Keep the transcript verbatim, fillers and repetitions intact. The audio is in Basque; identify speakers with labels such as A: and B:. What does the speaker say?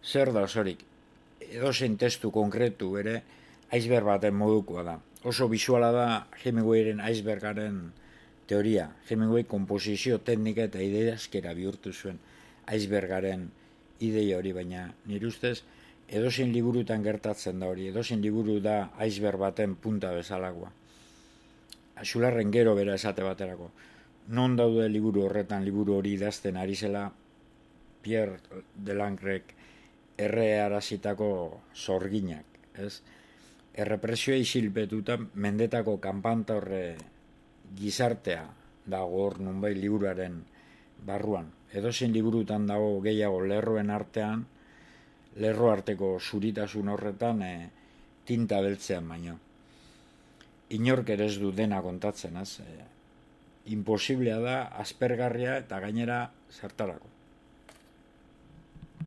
A: zer da osorik, edozein testu konkretu ere iceberg baten modukoa da. Oso bisuala da Hemingwayren icebergaren teoria. Hemingway komposizio teknika eta ideazkera bihurtu zuen icebergaren ideia hori, baina nire ustez edozein liburutan gertatzen da hori, edozein liburu da iceberg baten punta bezalakoa. Xularren gero bera esate baterako. Non daude liburu horretan, liburu hori idazten ari zela Pierre Delangrek errearazitako zorginak, ez? Errepresioa isilpetuta mendetako kanpanta horre gizartea dago hor nunbait liburuaren barruan. Edozein liburutan dago gehiago lerroen artean, lerro arteko zuritasun horretan e, tinta beltzean baino. Inork ere ez du dena kontatzen, ez? E, imposiblea da, aspergarria eta gainera zertarako.